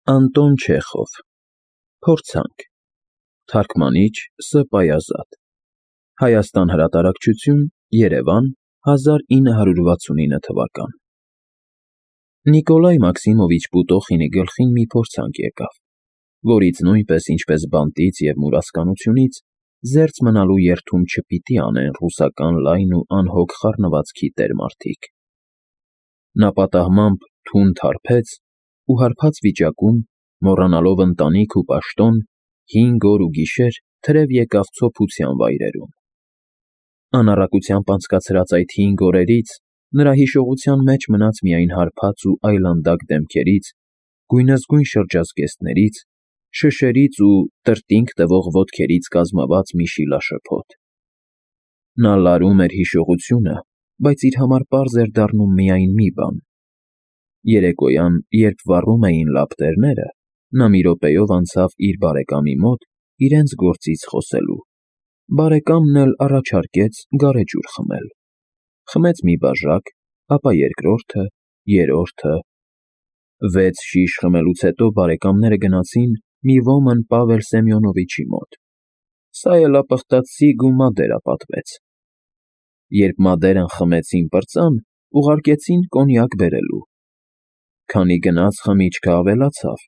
Անտոն Չեխով Փորձանք Թարգմանիչ Ս. Պայազատ Հայաստան հրատարակչություն Երևան 1969 թվական Նիկոլայ Մաքսիմովիչ Պուտոխինի գլխին մի փորձանք եկավ, որից նույնպես ինչպես բանտից և մուրացկանությունից զերծ մնալու երդում չպիտի անեն ռուսական լայն ու անհոգ խառնվածքի տեր-մարդիկ։ Նա պատահմամբ թունդ հարբեց ու հարբած վիճակում, մոռանալով ընտանիք ու պաշտոն, 5 օր ու գիշեր թրև եկավ ցոփության վայրերում։ Անառակությամբ անցկացրած այդ 5 օրերից նրա հիշողության մեջ մնաց միայն հարբած ու այլանդակ դեմքերից, գույնզգույն շրջազգեստներից, շշերից ու տրտինգ տվող ոտքերից կազմված մի շիլաշփոթ։ Նա լարում էր հիշողությունը, բայց իր համար պարզ էր դառնում միայն մի բան. երեկոյան, երբ վառում էին լապտերները, նա մի րոպեով անցավ իր բարեկամի մոտ իրենց գործից խոսելու։ Բարեկամն էլ առաջարկեց գարեջուր խմել։ Խմեց մի բաժակ, ապա երկրորդը, երրորդը։ 6 շիշ խմելուց հետո բարեկամները գնացին մի ոմն Պավել Սեմյոնովիչի մոտ։ Սա էլ ապխտած ու մադերա պատվեց։ Երբ մադերան խմեցին պրծան, ուղարկեցին կոնյակ բերելու։ Քանի գնաց խմիչքը ավելացավ,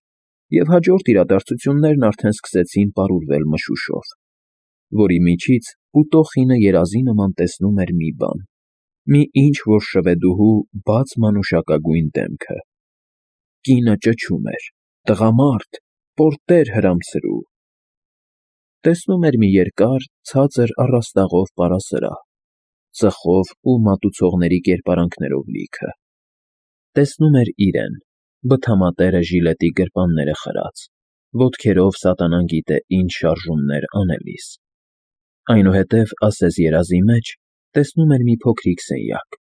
և հաջորդ իրադարձություններն արդեն սկսեցին պարուրվել մշուշով, որի միջից Պուտոխինը երազի նման տեսնում էր մի բան, մի ինչ-որ շվեդուհու բաց մանուշակագույն դեմքը։ Կինը ճչում էր. «Տղամարդ, պորտեր հրամցրու»։ Տեսնում էր մի երկար, ցածր առաստաղով պարասրահ, ծխով ու մատուցողների կերպարանքներով լիքը։ Տեսնում էր իրեն, բթամատերը ժիլետի գրպանները խրած, ոտքերով սատանան գիտե ինչ շարժումներ անելիս։ Այնուհետև, ասես երազի մեջ, տեսնում էր մի փոքրիկ սենյակ,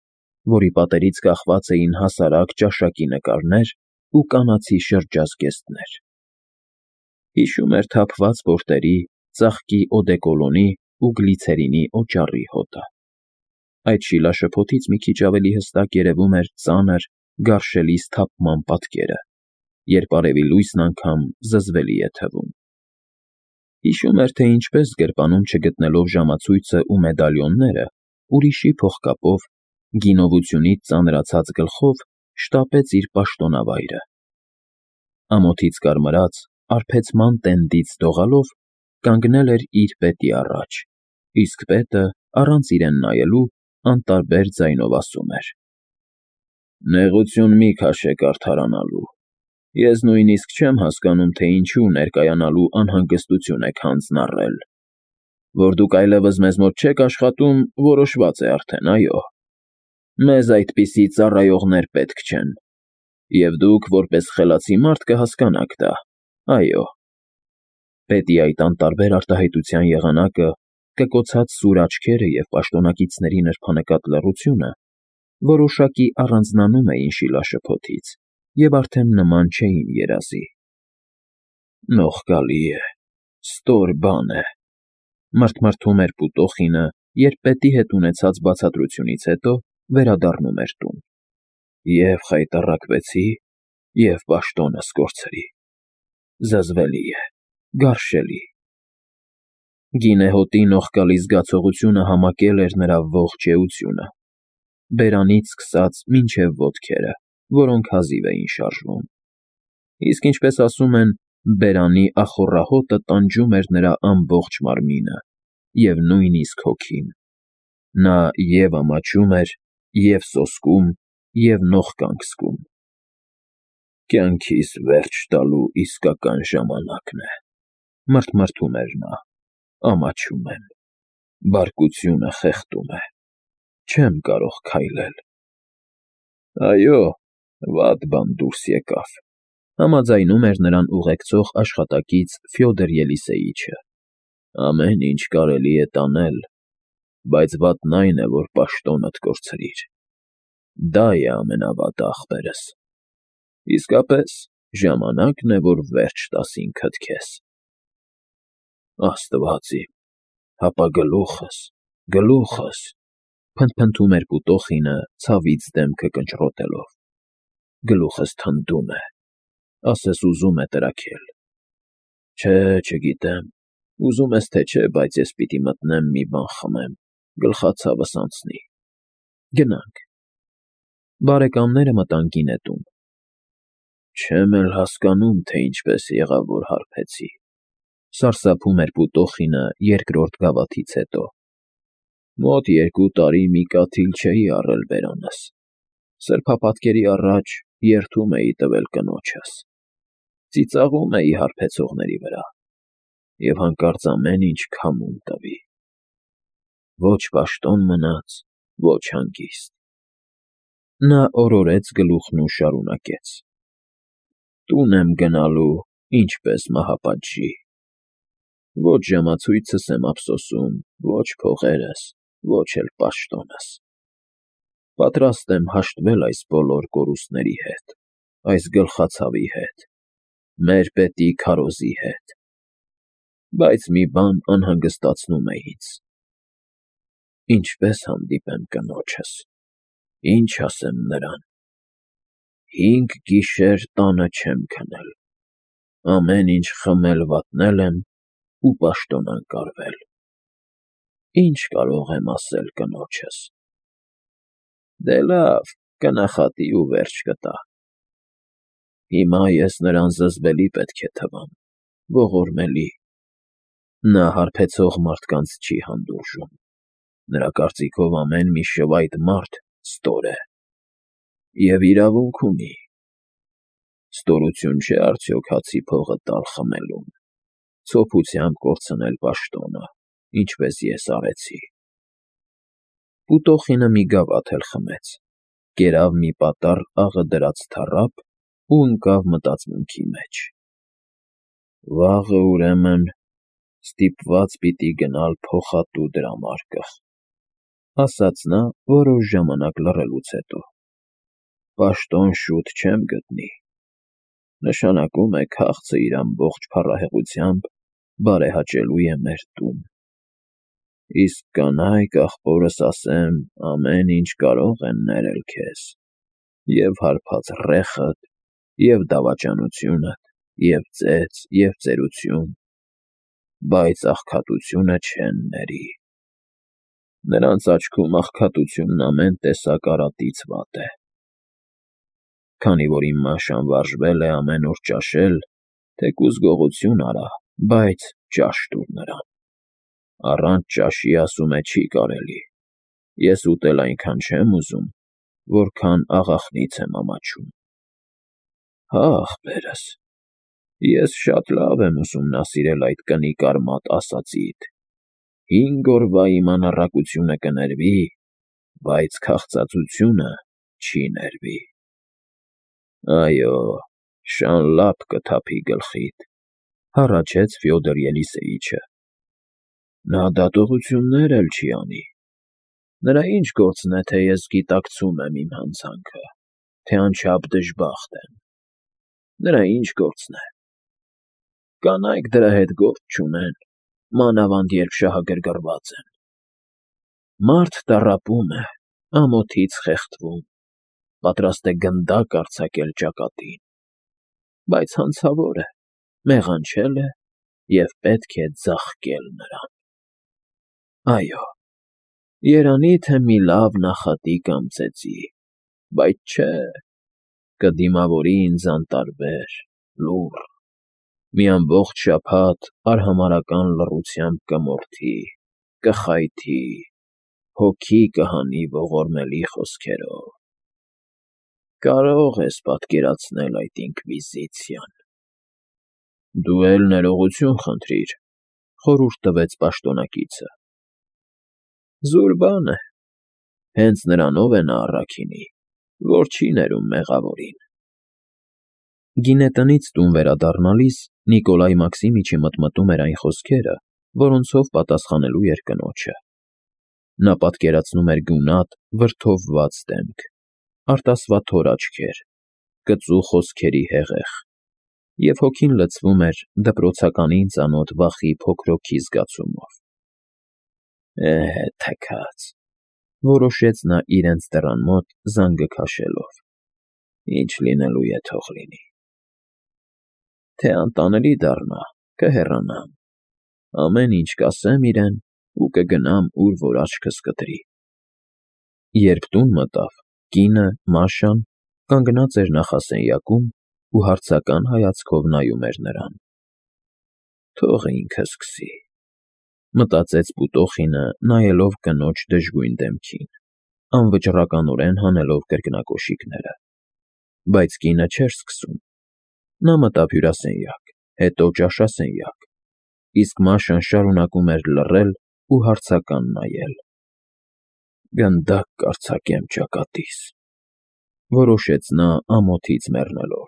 որի պատերից կախված էին հասարակ ճաշակի նկարներ ու կանացի շրջազգեստներ։ Հիշում էր թափված պորտերի, ծաղկի օդեկոլոնի ու գլիցերինի օճառի հոտը։ Այդ շիլաշփոթից մի քիչ ավելի հստակ երևում էր ծանր, գարշելի սթափման պատկերը, երբ արևի լույսն անգամ զզվելի է թվում։ Հիշում էր, թե ինչպես գրպանում չգտնելով ժամացույցը ու մեդալիոնները, ուրիշի փողկապով, գինովությունից ծանրացած գլխով շտապեց իր պաշտոնավայրը։ Ամոթից կարմրած, արբեցման տենդից դողալով, կանգնել էր իր պետի առաջ, իսկ պետը, առանց իրեն նայելու, անտարբեր ձայնով ասում էր. «Նեղություն մի քաշեք արդարանալու։ Ես նույնիսկ չեմ հասկանում, թե ինչու ներկայանալու անհանգստություն եք հանձնառել։ Որ դուք այլևս մեզ մոտ չեք աշխատում, որոշված է արդեն, այո։ Մեզ այդպիսի ծառայողներ պետք չեն։ Եվ դուք, որպես խելացի մարդ, կհասկանաք դա, այո»։ Պետի այդ անտարբեր արտահայտության եղանակը, կկոցած սուր աչքերը և պաշտոնակիցների նրբանկատ լռությունը որոշակի առանձնանում էին շիլաշփոթից և արդեն նման չէին երազի։ «Նողկալի է, ստոր բան է», մրթմրթում էր Պուտոխինը, երբ պետի հետ ունեցած բացատրությունից հետո վերադառնում էր տուն։ «Եվ խայտառակվեցի, և պաշտոնս կորցրի։ Զզվելի է, գարշելի»։ Գինեհոտի նողկալի զգացողությունը համակել էր նրա ողջ էությունը, բերանից սկսած մինչև ոտքերը, որոնք հազիվ էին շարժվում։ Իսկ ինչպես ասում են, բերանի ախոռահոտը տանջում էր նրա ամբողջ մարմինը և նույնիսկ հոգին։ Նա և՛ ամաչում էր, և՛ սոսկում, և՛ նողկանք զգում։ «Կյանքիս վերջ տալու իսկական ժամանակն է», մրթմրթում էր նա, «ամաչում եմ։ Բարկությունը խեղդում է։ Չեմ կարող քայլել»։ «Այո, վատ բան դուրս եկավ», համաձայնում էր նրան ուղեկցող աշխատակից Ֆյոդոր Ելիսեյիչը։ «Ամեն ինչ կարելի է տանել, բայց վատն այն է, որ պաշտոնդ կորցրիր։ Դա է ամենավատը, ախպերս։ Իսկապես, ժամանակն է, որ վերջ տաս ինքդ քեզ»։ «Աստված իմ, հապա գլուխս, գլուխս», փնթփնթում էր Պուտոխինը, ցավից դեմքը կնճռոտելով։ «Գլուխս թնդում է, ասես ուզում է տրաքել։ Չէ, չգիտեմ, ուզում ես թե չէ, բայց ես պիտի մտնեմ մի բան խմեմ, գլխացավս անցնի։ Գնանք։ Բարեկամները մտան գինետուն։ Չեմ էլ հասկանում, թե ինչպես եղավ, որ հարբեցի, սարսափում էր Պուտոխինը երկրորդ գավաթից հետո։ Մոտ 2 տարի մի կաթիլ չէի առել բերանս։ Սրբապատկերի առաջ երդում էի տվել կնոջս։ Ծիծաղում էի հարբեցողների վրա և հանկարծ ամեն ինչ քամում տվի։ Ոչ պաշտոն մնաց, ոչ հանգիստ։ Նա օրորեց գլուխն ու շարունակեց. Տուն եմ գնալու, ինչպես մահապատժի։ Ոչ ժամացույցս եմ ափսոսում, ոչ փողերս, ոչ էլ պաշտոնս։ Պատրաստ եմ հաշտվել այս բոլոր կորուստների հետ, այս գլխացավի հետ, մեր պետի քարոզի հետ։ Բայց մի բան անհանգստացնում է ինձ. ինչպես հանդիպեմ կնոջս, ինչ ասեմ նրան։ 5 գիշեր տանը չեմ քնել, ամեն ինչ խմել֊վատնել եմ ու պաշտոնանկարվել։ Ինչ կարող եմ ասել կնոջս։ Դե լավ, կնախատի ու վերջ կտա։ Հիմա ես նրան զզվելի պետք է թվամ, ողորմելի։ Նա հարբեցող մարդկանց չի հանդուրժում։ Նրա կարծիքով ամեն մի շվայտ մարդ ստոր է։ Եվ իրավունք ունի։ Ստորություն չէ արդյոք հացի փողը տալ խմելուն, ցոփությամբ կորցնել պաշտոնը, ինչպես ես արեցի։ Պուտոխինը մի գավաթ էլ խմեց, կերավ մի պատառ աղը դրած թառափ ու ընկավ մտածմունքի մեջ։ Վաղը, ուրեմն, ստիպված պիտի գնալ փոխատու դրամարկղ, ասաց նա որոշ ժամանակ լռելուց հետո։ Պաշտոն շուտ չեմ գտնի։ Նշանակում է քաղցը իր ամբողջ փառահեղությամբ բարեհաճելու է մեր տուն։ Իսկ կանայք, ախպորս ասեմ, ամեն ինչ կարող են ներել քեզ, և հարբած ռեխդ, և դավաճանությունդ, և ծեծ, և ծերություն, բայց աղքատությունը չեն ների։ Նրանց աչքում աղքատությունն ամեն տեսակ արատից վատ է։ Քանի որ իմ մաշան վարժվել է ամեն օր ճաշել, թեկուզ գողություն արա, բայց ճաշ տուր նրան։ Առանց ճաշի, ասում է, չի կարելի։ Ես ուտել այնքան չեմ ուզում, որքան աղախնից եմ ամաչում։ Հա, ախպերս, ես շատ լավ եմ ուսումնասիրել այդ կնիկ արմատ ասածիդ. 5 օրվա իմ անառակությունը կներվի, բայց քաղցածությունը չի ներվի։ Այո, շան լապ կթափի գլխիդ, հառաչեց Ֆյոդոր Ելիսեիչը։ Նա դատողություններ էլ չի անի։ Նրա ինչ գործն է, թե ես գիտակցում եմ իմ հանցանքը, թե անչափ դժբախտ եմ։ Նրա ինչ գործն է։ Կանայք դրա հետ գործ չունեն, մանավանդ երբ շահագրգռված են։ Մարդ տառապում է, ամոթից խեղդվում, պատրաստ է գնդակ արձակել ճակատին, բայց հանցավոր է, մեղանչել է և պետք է ձաղկել նրան։ Այո, երանի թե մի լավ նախատի կամ ծեծի, բայց չէ, կդիմավորի ինձ անտարբեր, լուռ, մի ամբողջ շաբաթ արհամարհական լռությամբ կմորթի, կխայթի, հոգի կհանի ողորմելի խոսքերով։ Կարող ես պատկերացնել այդ ինկվիզիցիան։ Դու էլ ներողություն խնդրիր, խորհուրդ տվեց պաշտոնակիցը։ Զուր բան է, հենց նրանով է նա առաքինի, որ չի ներում մեղավորին։ Գինետնից տուն վերադառնալիս Նիկոլայ Մաքսիմիչը մտմտում էր այն խոսքերը, որոնցով պատասխանելու էր կնոջը։ Նա պատկերացնում էր գունատ, վրդովված դեմք, արտասվաթոր աչքեր, կծու խոսքերի հեղեղ, և հոգին լցվում էր դպրոցականին ծանոթ վախի փոքրոքի զգացումով։ Թքած, որոշեց նա իրենց դռան մոտ զանգը քաշելով։ Ինչ լինելու է թող լինի։ թե անտանելի դառնա, կհեռանամ, ամեն ինչ կասեմ իրեն ու կգնամ, ուր որ աչքս կտրի։ Երբ տուն մտավ, կինը, Մաշան, կանգնած էր նախասենյակում ու հարցական հայացքով նայում էր նրան։ Թող ինքը սկսի, մտածեց Պուտոխինը, նայելով կնոջ դժգույն դեմքին, անվճռականորեն հանելով կրկնակոշիկները։ Բայց կինը չէր սկսում։ Նա մտավ հյուրասենյակ, հետո ճաշասենյակ, իսկ Մաշան շարունակում էր լռել ու հարցական նայել։ Գնդակ կարձակեմ ճակատիս, որոշեց նա ամոթից մեռնելով,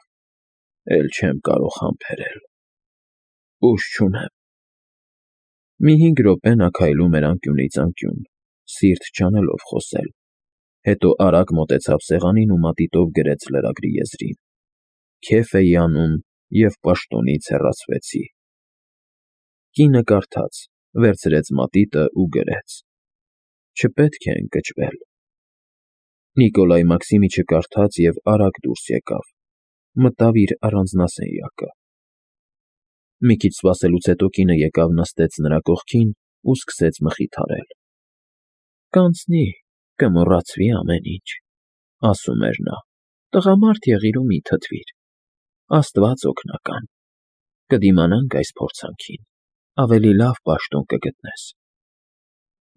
էլ չեմ կարող համբերել, ուժ չունեմ։ Մի 5 րոպե նա քայլում էր անկյունից անկյուն, սիրտ չանելով խոսել, հետո արագ մոտեցավ սեղանին ու մատիտով գրեց լրագրի եզրին. «Քեֆ էի անում և պաշտոնից հեռացվեցի»։ Կինը կարդաց, վերցրեց մատիտը ու գրեց. «Չպետք է ընկճվել»։ Նիկոլայ Մաքսիմիչը կարդաց և արագ դուրս եկավ, մտավ իր առանձնասենյակը։ Մի քիչ սպասելուց հետո կինը եկավ նստեց նրա կողքին ու սկսեց մխիթարել։ «Կանցնի, կմոռացվի ամեն ինչ», ասում էր նա, «տղամարդ եղիր ու մի թթվիր, Աստված օգնական, կդիմանանք այս փորձանքին, ավելի լավ պաշտոն կգտնես»։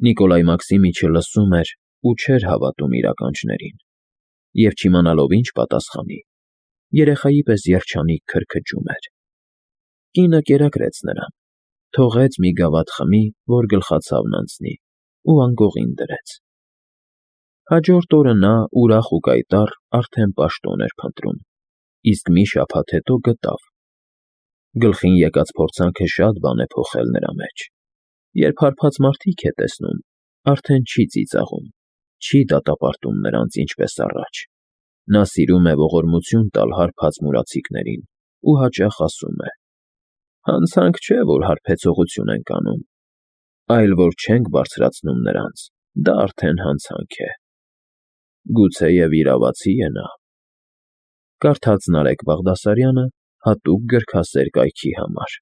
Նիկոլայ Մաքսիմիչը լսում էր ու չէր հավատում իր ականջներին, և չիմանալով ինչ պատասխանի, երեխայի պես երջանիկ քրքջում էր։ Կինը կերակրեց նրան, թողեց մի գավաթ խմի, որ գլխացավն անցնի, ու անկողին դրեց։ Հաջորդ օրը նա, ուրախ ու կայտառ, արդեն պաշտոն էր փնտրում, իսկ մի շաբաթ հետո գտավ։ Գլխին եկած փորձանքը շատ բան է փոխել նրա մեջ։ Երբ հարբած մարդիկ է տեսնում, արդեն չի ծիծաղում, չի դատապարտում նրանց ինչպես առաջ։ Նա սիրում է ողորմություն տալ հարբած մուրացիկներին ու հաճախ ասում է. «Հանցանք չէ, որ հարբեցողություն ենք անում, այլ որ չենք բարձրացնում նրանց, դա արդեն հանցանք է»։ Գուցեև իրավացի է նա։ Կարդաց Նարեկ Բաղդասարյանը հատուկ գրքասեր կայքի համար։